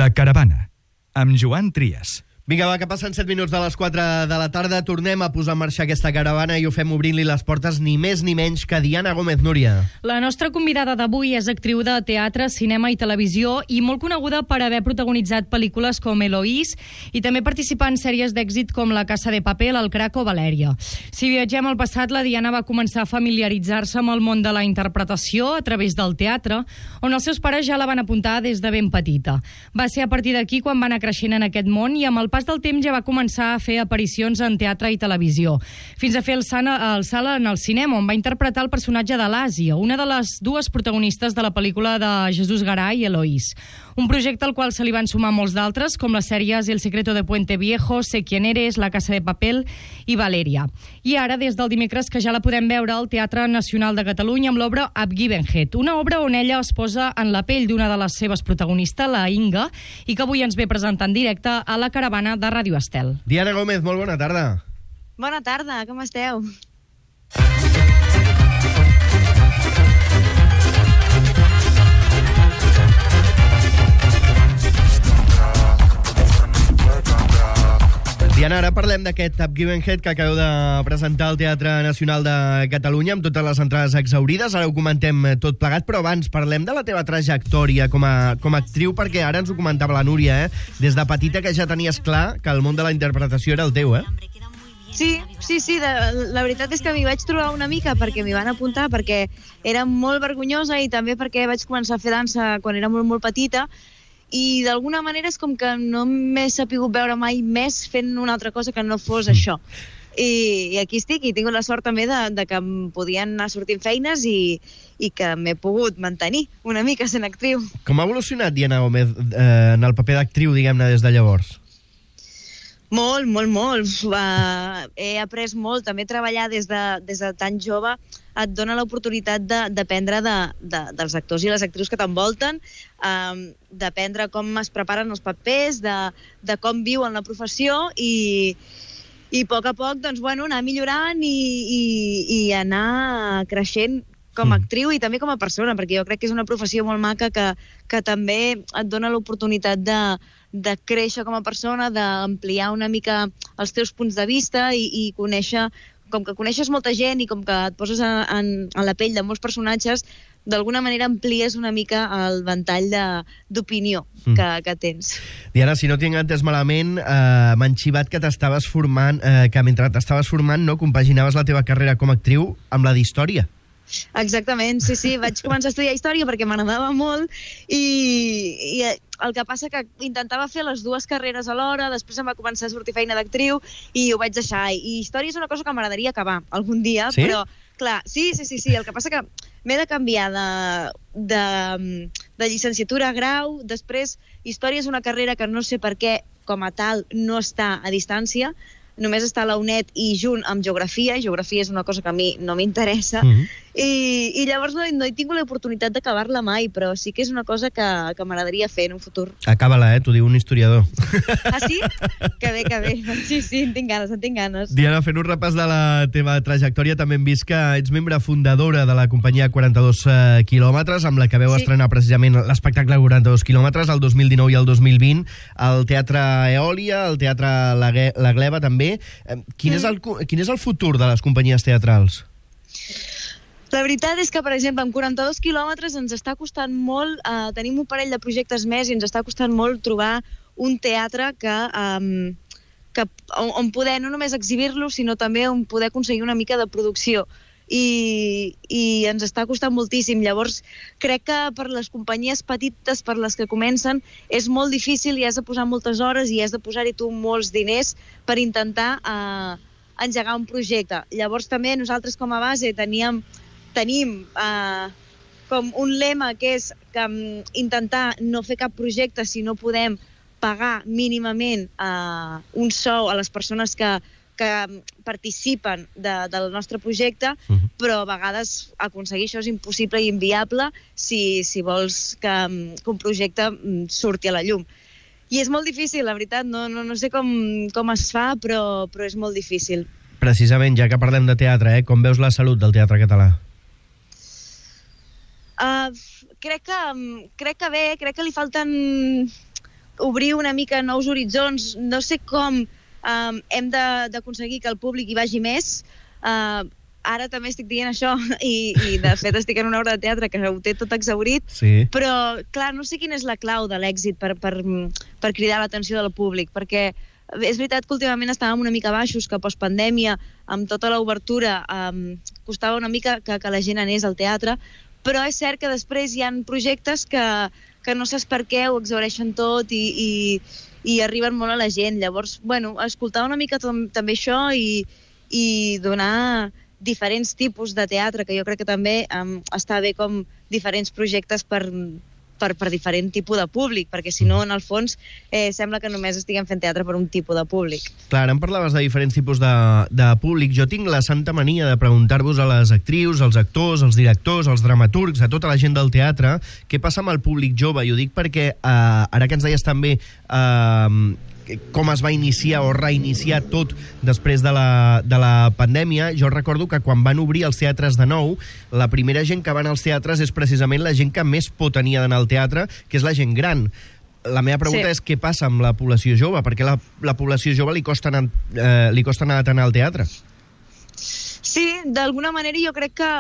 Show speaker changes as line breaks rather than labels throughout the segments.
La Caravana, amb Joan Trias.
Vinga, va, que passen 7 minuts de les 4 de la tarda. Tornem a posar en marxa aquesta caravana i ho fem obrint-li les portes ni més ni menys que Diana Gómez. Núria.
La nostra convidada d'avui és actriu de teatre, cinema i televisió i molt coneguda per haver protagonitzat pel·lícules com Eloís i també participar en sèries d'èxit com La Casa de Papel, El Crac o Valèria. Si viatgem al passat, la Diana va començar a familiaritzar-se amb el món de la interpretació a través del teatre, on els seus pares ja la van apuntar des de ben petita. Va ser a partir d'aquí quan va anar creixent en aquest món i amb el pas del temps ja va començar a fer aparicions en teatre i televisió, fins a fer el salt en el cinema, on va interpretar el personatge de l'Àsia, una de les dues protagonistes de la pel·lícula de Jesús Garay, Eloís. Un projecte al qual se li van sumar molts d'altres, com les sèries El secreto de Puente Viejo, Sé quién eres, La Casa de Papel i Valèria. I ara, des del dimecres, que ja la podem veure al Teatre Nacional de Catalunya amb l'obra Abgivenhet, una obra on ella es posa en la pell d'una de les seves protagonistes, la Inga, i que avui ens ve presentar en directe a la caravana de Ràdio Estel.
Diana Gómez, molt bona tarda.
Bona tarda, com esteu?
Diana, ara parlem d'aquest Abgivenhet que acabeu de presentar al Teatre Nacional de Catalunya amb totes les entrades exhaurides. Ara ho comentem tot plegat, però abans parlem de la teva trajectòria com a actriu, perquè ara ens ho comentava la Núria, des de petita que ja tenies clar que el món de la interpretació era el teu,
Sí, la veritat és que m'hi vaig trobar una mica perquè m'hi van apuntar, perquè era molt vergonyosa i també perquè vaig començar a fer dansa quan era molt petita, i d'alguna manera és com que no m'he sapigut veure mai més fent una altra cosa que no fos això. I aquí estic, i tinc la sort també de que em podien anar sortint feines i que m'he pogut mantenir una mica sent actriu.
Com ha evolucionat Diana Gómez en el paper d'actriu, diguem-ne, des de llavors?
Molt. He après molt. També treballar des de tan jove et dona l'oportunitat d'aprendre dels actors i les actrius que t'envolten, d'aprendre com es preparen els papers, de com viuen la professió i a poc, doncs, anar millorant i anar creixent com a actriu i també com a persona, perquè jo crec que és una professió molt maca que també et dona l'oportunitat de créixer com a persona, d'ampliar una mica els teus punts de vista i conèixer, com que coneixes molta gent i com que et poses en la pell de molts personatges, d'alguna manera amplies una mica el ventall d'opinió que tens.
Diana, si no tinc entès malament, m'han xivat que t'estaves formant, que mentre t'estaves formant no compaginaves la teva carrera com a actriu amb la d'història.
Exactament, sí. Vaig començar a estudiar història perquè m'agradava molt i el que passa que intentava fer les dues carreres alhora, després em va començar a sortir feina d'actriu i ho vaig deixar. I història és una cosa que m'agradaria acabar algun dia,
sí?
Però, clar, sí. El que passa que m'he de canviar de llicenciatura a grau, després història és una carrera que no sé per què, com a tal, no està a distància, només està a la UNED i junt amb geografia, i geografia és una cosa que a mi no m'interessa, i llavors no he tingut l'oportunitat d'acabar-la mai, però sí que és una cosa que m'agradaria fer en un futur.
Acaba-la, t'ho diu un historiador.
Ah, sí? Que bé. Sí, en tinc ganes.
Diana, fent un repàs de la teva trajectòria, també hem vist que ets membre fundadora de la companyia 42 quilòmetres, amb la que veu estrenar precisament l'espectacle 42 quilòmetres, el 2019 i el 2020, al Teatre Eòlia, al Teatre La Gleva també. Quin és el futur de les companyies teatrals?
La veritat és que, per exemple, amb 42 quilòmetres ens està costant molt, tenim un parell de projectes més i ens està costant molt trobar un teatre on poder no només exhibir-lo, sinó també on poder aconseguir una mica de producció. I ens està costant moltíssim. Llavors, crec que per les companyies petites, per les que comencen, és molt difícil i has de posar moltes hores i has de posar-hi tu molts diners per intentar engegar un projecte. Llavors, també nosaltres com a base tenim com un lema que és que intentar no fer cap projecte si no podem pagar mínimament un sou a les persones que participen del nostre projecte, però a vegades aconseguir això és impossible i inviable si vols que un projecte surti a la llum. I és molt difícil, la veritat, no sé com es fa, però és molt difícil.
Precisament, ja que parlem de teatre, com veus la salut del teatre català?
Crec que bé, crec que li falten obrir una mica nous horitzons. No sé com hem d'aconseguir que el públic hi vagi més. Ara també estic dient això i de fet estic en una obra de teatre que ho té tot exhaurit, però clar, no sé quina és la clau de l'èxit per cridar l'atenció del públic, perquè és veritat que últimament estàvem una mica baixos, que postpandèmia, amb tota l'obertura, costava una mica que la gent anés al teatre, però és cert que després hi ha projectes que no saps per què ho exhaureixen tot i arriben molt a la gent. Llavors, bueno, escoltar una mica també això i donar diferents tipus de teatre, que jo crec que també està bé com diferents projectes per diferent tipus de públic, perquè si no, en el fons, sembla que només estiguem fent teatre per un tipus de públic.
Clar, ara em parlaves de diferents tipus de públic. Jo tinc la santa mania de preguntar-vos a les actrius, als actors, als directors, als dramaturgs, a tota la gent del teatre, què passa amb el públic jove. I ho dic perquè, ara que ens deies també com es va iniciar o reiniciar tot després de la pandèmia, jo recordo que quan van obrir els teatres de nou, la primera gent que va anar als teatres és precisament la gent que més por tenia d'anar al teatre, que és la gent gran. La meva pregunta és què passa amb la població jove? Perquè la població jove li costa anar tant al teatre?
Sí, d'alguna manera jo crec que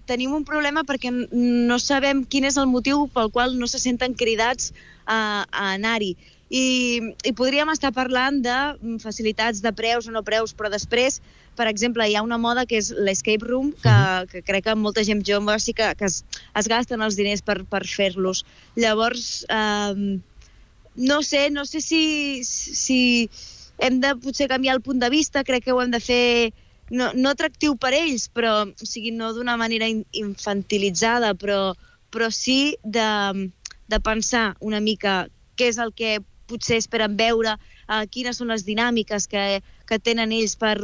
tenim un problema perquè no sabem quin és el motiu pel qual no se senten cridats a anar-hi. I podríem estar parlant de facilitats de preus o no preus, però després, per exemple, hi ha una moda que és l'escape room, que crec que molta gent jove sí que es gasten els diners per fer-los. Llavors, no sé si hem de potser canviar el punt de vista, crec que ho hem de fer no atractiu per ells, però o sigui, no d'una manera infantilitzada, però sí de pensar una mica què és el que potser esperen veure, quines són les dinàmiques que tenen ells per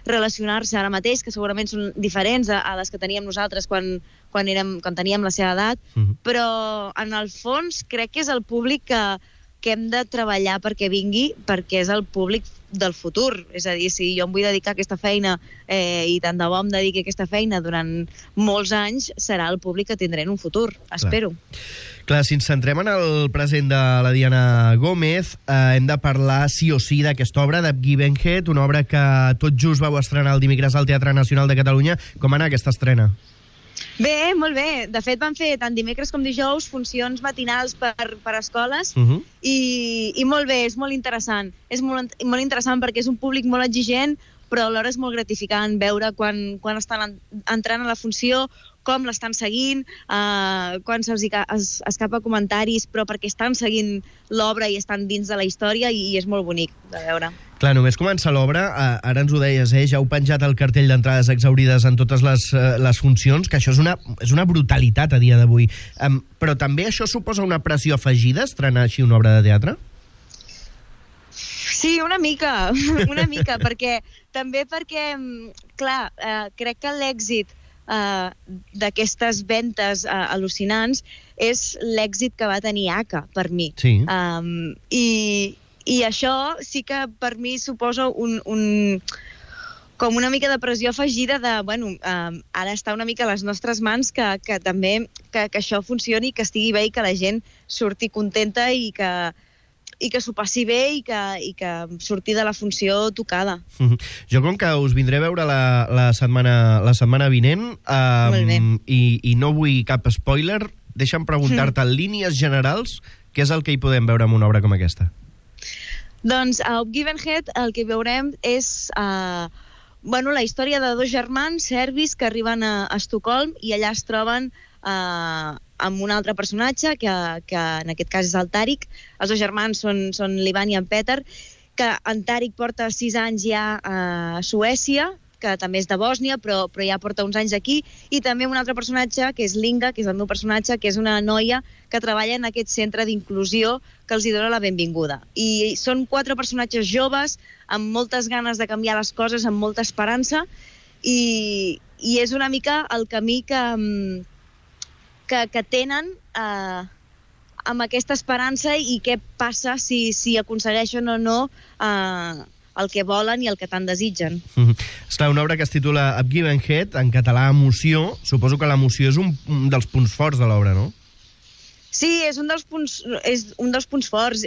relacionar-se ara mateix, que segurament són diferents a les que teníem nosaltres quan teníem la seva edat, però en el fons crec que és el públic que hem de treballar perquè vingui, perquè és el públic del futur. És a dir, si jo em vull dedicar a aquesta feina i tant de bo em dediqui a aquesta feina durant molts anys, serà el públic que tindré en un futur, espero.
Clar, si ens centrem en el present de la Diana Gómez, hem de parlar sí o sí d'aquesta obra, de Given Head, una obra que tot just vau estrenar el dimecres al Teatre Nacional de Catalunya. Com va anar aquesta estrena?
Bé, molt bé. De fet, van fer tant dimecres com dijous funcions matinals per escoles i molt bé, és molt interessant. És molt interessant perquè és un públic molt exigent, però alhora és molt gratificant veure quan estan entrant a la funció, com l'estan seguint, quan se'ls escapa comentaris, però perquè estan seguint l'obra i estan dins de la història i és molt bonic de veure.
Clar, només comença l'obra, ara ens ho deies, ja heu penjat el cartell d'entrades exhaurides en totes les funcions, que això és una brutalitat a dia d'avui. Però també això suposa una pressió afegida, estrenar així una obra de teatre?
Sí, una mica, perquè clar, crec que l'èxit d'aquestes ventes al·lucinants és l'èxit que va tenir ACA, per mi.
Sí.
I això sí que per mi suposa com una mica de pressió afegida de, ara està una mica a les nostres mans que també que això funcioni, que estigui bé i que la gent surti contenta i que s'ho passi bé i que surti de la funció tocada.
Jo com que us vindré a veure la setmana vinent i no vull cap spoiler, deixa'm preguntar-te en línies generals què és el que hi podem veure en una obra com aquesta.
Doncs a Given Head el que veurem és la història de dos germans serbis que arriben a Estocolm i allà es troben amb un altre personatge, que en aquest cas és el Tarik. Els dos germans són l'Ivan i en Peter, que en Tarik porta 6 anys ja a Suècia, que també és de Bòsnia, però ja porta uns anys aquí, i també un altre personatge, que és Linga, que és el meu personatge, que és una noia que treballa en aquest centre d'inclusió que els hi dona la benvinguda. I són 4 personatges joves, amb moltes ganes de canviar les coses, amb molta esperança, i és una mica el camí que tenen amb aquesta esperança i què passa si aconsegueixen o no el que volen i el que tant desitgen.
Esclar, una obra que es titula A Given Head, en català emoció. Suposo que l'emoció és un dels punts forts de l'obra, no?
Sí, és un dels punts forts.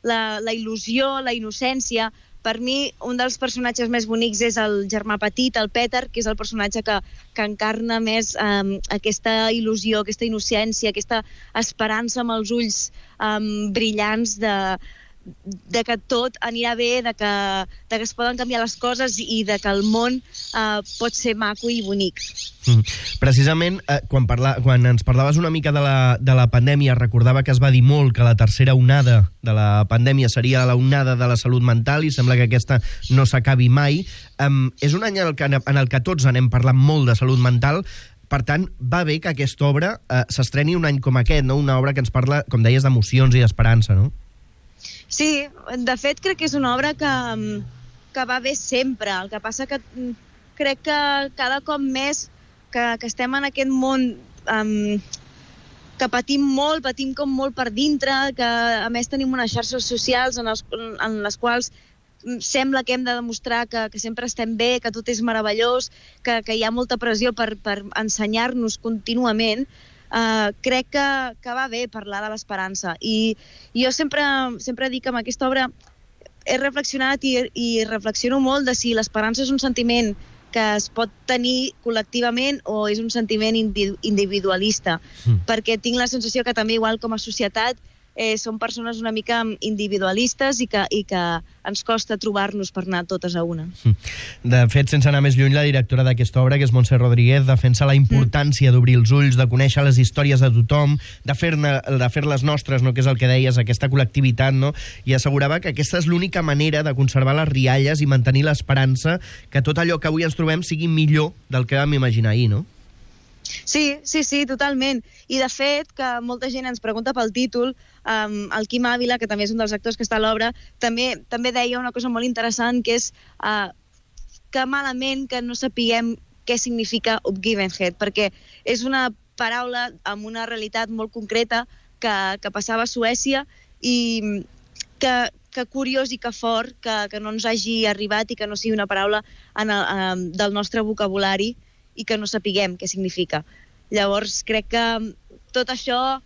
La il·lusió, la innocència. Per mi, un dels personatges més bonics és el germà petit, el Peter, que és el personatge que encarna més aquesta il·lusió, aquesta innocència, aquesta esperança amb els ulls brillants de que tot anirà bé, de que es poden canviar les coses i de que el món pot ser maco i bonic.
Precisament, quan ens parlaves una mica de la pandèmia, recordava que es va dir molt que la tercera onada de la pandèmia seria la onada de la salut mental i sembla que aquesta no s'acabi mai. És un any en el que tots anem parlant molt de salut mental. Per tant, va bé que aquesta obra s'estreni un any com aquest, no? Una obra que ens parla, com deies, d'emocions i d'esperança, no?
Sí, de fet crec que és una obra que va bé sempre. El que passa que crec que cada cop més que estem en aquest món que patim com molt per dintre, que a més tenim unes xarxes socials en les quals sembla que hem de demostrar que sempre estem bé, que tot és meravellós, que hi ha molta pressió per ensenyar-nos contínuament. Crec que va bé parlar de l'esperança i jo sempre dic que amb aquesta obra he reflexionat i reflexiono molt de si l'esperança és un sentiment que es pot tenir col·lectivament o és un sentiment individualista, perquè tinc la sensació que també igual com a societat som persones una mica individualistes i que ens costa trobar-nos per anar totes a una.
De fet, sense anar més lluny, la directora d'aquesta obra, que és Montse Rodríguez, defensa la importància d'obrir els ulls, de conèixer les històries de tothom, de fer-les nostres, no? Que és el que deies, aquesta col·lectivitat, no? I assegurava que aquesta és l'única manera de conservar les rialles i mantenir l'esperança que tot allò que avui ens trobem sigui millor del que vam imaginar ahir, no?
Sí, totalment. I de fet, que molta gent ens pregunta pel títol, el Quim Ávila, que també és un dels actors que està a l'obra, també deia una cosa molt interessant, que és que malament que no sapiguem què significa Uppgivenhet, perquè és una paraula amb una realitat molt concreta que passava a Suècia i que curiós i que fort que no ens hagi arribat i que no sigui una paraula del nostre vocabulari i que no sapiguem què significa. Llavors, crec que tot això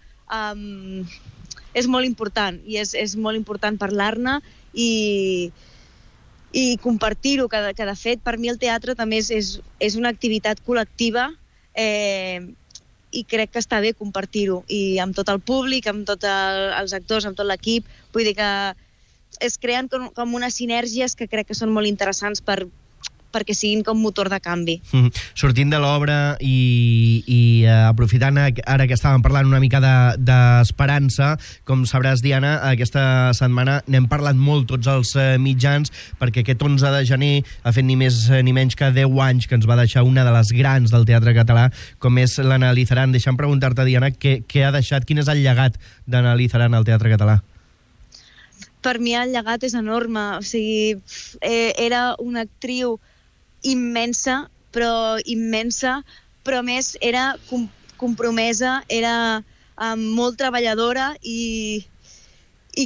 és molt important i és molt important parlar-ne i compartir-ho, que de fet per mi el teatre també és una activitat col·lectiva i crec que està bé compartir-ho i amb tot el públic, amb tots els actors, amb tot l'equip. Vull dir que es creen com unes sinergies que crec que són molt interessants perquè siguin com motor de canvi.
Sortint de l'obra i aprofitant ara que estàvem parlant una mica d'esperança, com sabràs, Diana, aquesta setmana n'hem parlat molt tots els mitjans, perquè aquest 11 de gener ha fet ni més ni menys que 10 anys que ens va deixar una de les grans del teatre català, com és l'Anna Lizaran. Deixa'm preguntar-te, Diana, què ha deixat, quin és el llegat d'Anna Lizaran al teatre català?
Per mi el llegat és enorme. O sigui, era una actriu immensa, però a més era compromesa, era molt treballadora i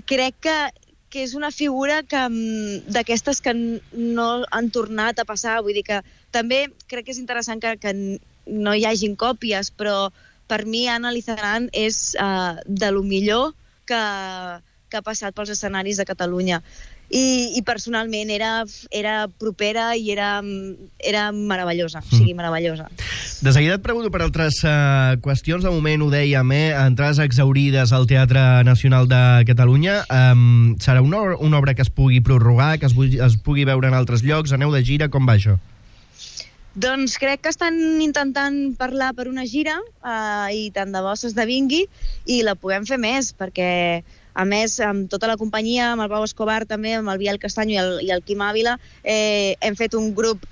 crec que és una figura d'aquestes que no han tornat a passar. Vull dir que també crec que és interessant que no hi hagin còpies, però per mi Anna Lizaran és de lo millor que ha passat pels escenaris de Catalunya. I personalment era propera i era meravellosa, o sigui, meravellosa.
De seguida et pregunto per altres qüestions. De moment ho dèiem, entrades exhaurides al Teatre Nacional de Catalunya. Serà una obra que es pugui prorrogar, que es pugui veure en altres llocs? Aneu de gira, com va això?
Doncs crec que estan intentant parlar per una gira i tant de bo s'esdevingui i la puguem fer més, perquè a més, amb tota la companyia, amb el Pau Escobar també, amb el Biel Castanyo i el Quim Ávila, hem fet un grup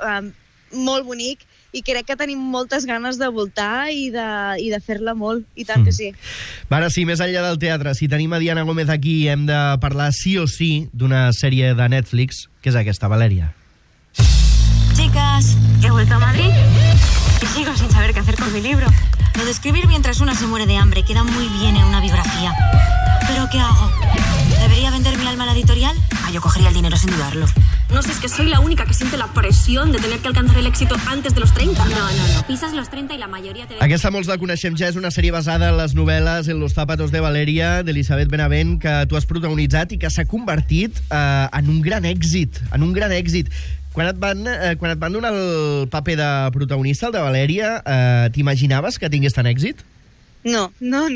molt bonic i crec que tenim moltes ganes de voltar i de fer-la molt, i tant que sí.
Ara sí, més enllà del teatre, si tenim a Diana Gómez aquí, hem de parlar sí o sí d'una sèrie de Netflix, que és aquesta, Valeria.
Chicas, he vuelto a Madrid y sigo sin saber qué hacer con mi libro. Lo de escribir mientras una se muere de hambre queda muy bien en una biografía. ¿Pero qué hago? ¿Debería vender mi alma a la editorial? yo cogería el dinero sin dudarlo.
No sé, es que soy la única que siente la presión de tener que alcanzar el éxito antes de los 30.
No. Pisas los 30 y la mayoría te...
Aquesta molts la coneixem ja, és una sèrie basada en les novel·les En los zapatos de Valeria, d'Elisabet Benavent, que tu has protagonitzat i que s'ha convertit en un gran èxit. Quan et van donar el paper de protagonista, el de Valeria, t'imaginaves que tingués tant èxit?
No.
No,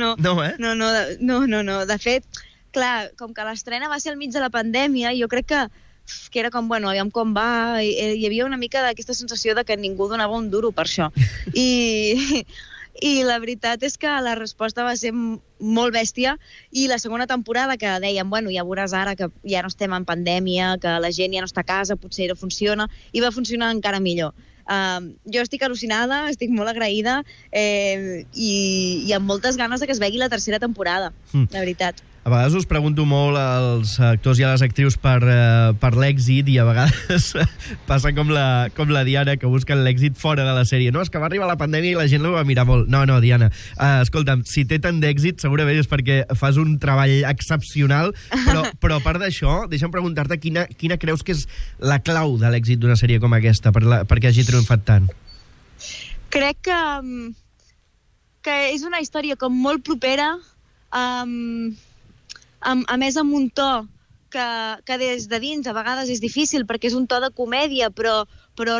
eh?
No. De fet, clar, com que l'estrena va ser al mig de la pandèmia, jo crec que era com, bueno, aviam com va, hi havia una mica d'aquesta sensació de que ningú donava un duro per això. I la veritat és que la resposta va ser molt bèstia, i la segona temporada, que dèiem, bueno, ja veuràs ara que ja no estem en pandèmia, que la gent ja no està a casa, potser no funciona, i va funcionar encara millor. Jo estic al·lucinada, estic molt agraïda, i amb moltes ganes de que es vegi la tercera temporada, la veritat.
A vegades us pregunto molt als actors i a les actrius per l'èxit, i a vegades passa com la Diana, que busquen l'èxit fora de la sèrie. No, és que va arribar la pandèmia i la gent ho va mirar molt. No, Diana, escolta'm, si té tant d'èxit segurament és perquè fas un treball excepcional, però a part d'això, deixa'm preguntar-te quina creus que és la clau de l'èxit d'una sèrie com aquesta, perquè hagi triomfat tant?
Crec que és una història com molt propera, a més amb un to que des de dins a vegades és difícil, perquè és un to de comèdia però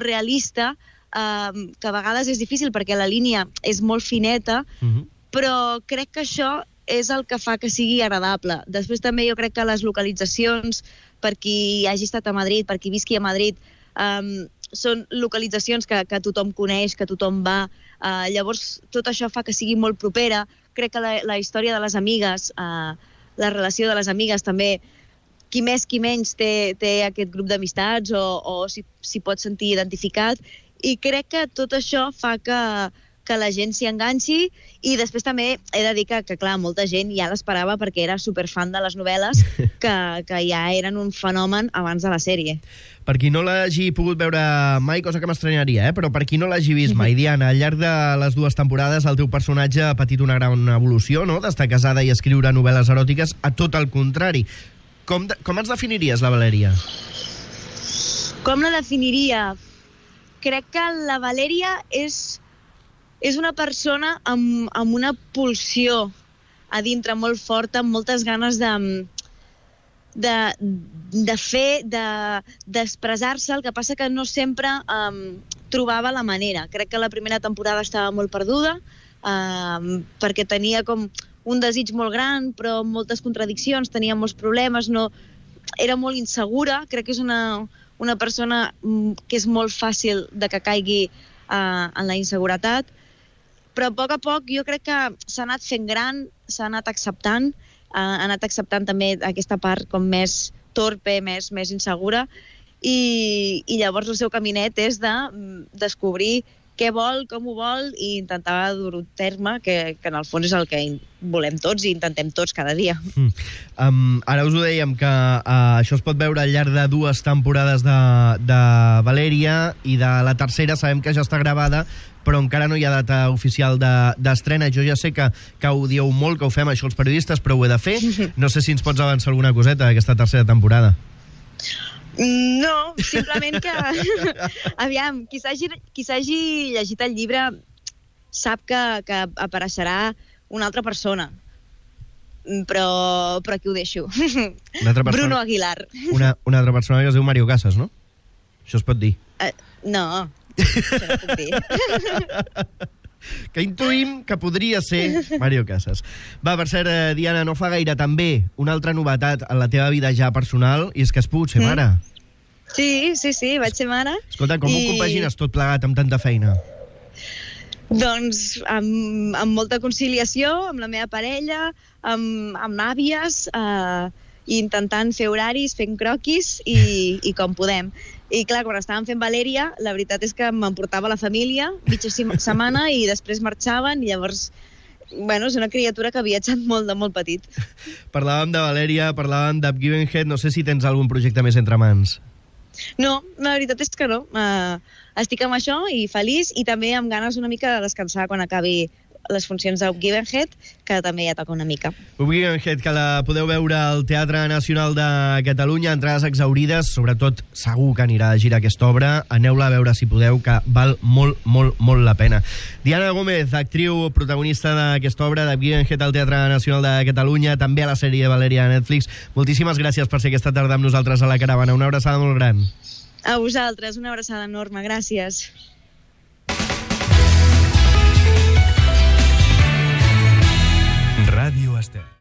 realista, que a vegades és difícil perquè la línia és molt fineta, però crec que això és el que fa que sigui agradable. Després també jo crec que les localitzacions, per qui hagi estat a Madrid, per qui visqui a Madrid, són localitzacions que tothom coneix, que tothom va, llavors tot això fa que sigui molt propera. Crec que la història de les amigues, la relació de les amigues també, qui més qui menys té aquest grup d'amistats o s'hi pot sentir identificat, i crec que tot això fa que la gent s'hi enganxi. I després també he de dir que clar, molta gent ja l'esperava perquè era superfan de les novel·les, que ja eren un fenomen abans de la sèrie.
Per qui no l'hagi pogut veure mai, cosa que m'estranyaria, però per qui no l'hagi vist mai, Diana, al llarg de les 2 temporades el teu personatge ha patit una gran evolució, no?, d'estar casada i escriure novel·les eròtiques, a tot el contrari. Com ens definiries, la Valèria?
Com la definiria? Crec que la Valèria és una persona amb una pulsió a dintre molt forta, amb moltes ganes de fer, d'expressar-se. El que passa que no sempre trobava la manera. Crec que la primera temporada estava molt perduda, perquè tenia com un desig molt gran, però amb moltes contradiccions, tenia molts problemes, era molt insegura. Crec que és una persona que és molt fàcil de que caigui en la inseguretat, però a poc jo crec que s'ha anat fent gran, s'ha anat acceptant, també aquesta part com més torpe, més insegura, i llavors el seu caminet és de descobrir què vol, com ho vol, i intentar dur-ho a terme, que en el fons és el que volem tots i intentem tots cada dia.
Ara us ho dèiem, que això es pot veure al llarg de 2 temporades de Valèria, i de la tercera sabem que ja està gravada, però encara no hi ha data oficial d'estrena. Jo ja sé que ho dieu molt, que ho fem això els periodistes, però ho he de fer. No sé si ens pots avançar alguna coseta d'aquesta tercera temporada.
No, simplement que aviam, qui s'hagi llegit el llibre sap que apareixerà una altra persona, però aquí ho deixo. Bruno Aguilar.
Una altra persona que es diu Mario Casas, no? Això es pot dir?
No, això no puc dir.
Que intuïm que podria ser Mario Casas. Va, per cert, Diana, no fa gaire també una altra novetat en la teva vida ja personal, i és que has pogut ser mare.
Sí, vaig ser mare.
Escolta, com ho compagines tot plegat amb tanta feina?
Doncs amb molta conciliació, amb la meva parella, amb àvies, intentant fer horaris, fent croquis i com podem. I clar, quan estàvem fent Valèria, la veritat és que m'emportava la família mitja setmana i després marxaven, i llavors, bueno, és una criatura que ha viatjat molt de molt petit.
Parlàvem de Valèria, parlàvem d'Up Given Head, no sé si tens algun projecte més entre mans.
No, la veritat és que no. Estic amb això i feliç, i també amb ganes una mica de descansar quan acabi les funcions d'Upgivenhead, que també ja toca una mica.
Upgivenhead, que la podeu veure al Teatre Nacional de Catalunya, entrades exaurides, sobretot segur que anirà a gira aquesta obra, aneu-la a veure si podeu, que val molt, molt, molt la pena. Diana Gómez, actriu protagonista d'aquesta obra, d'Upgivenhead al Teatre Nacional de Catalunya, també a la sèrie de Valèria a Netflix. Moltíssimes gràcies per ser aquesta tarda amb nosaltres a La Caravana. Una abraçada molt gran.
A vosaltres, una abraçada enorme. Gràcies.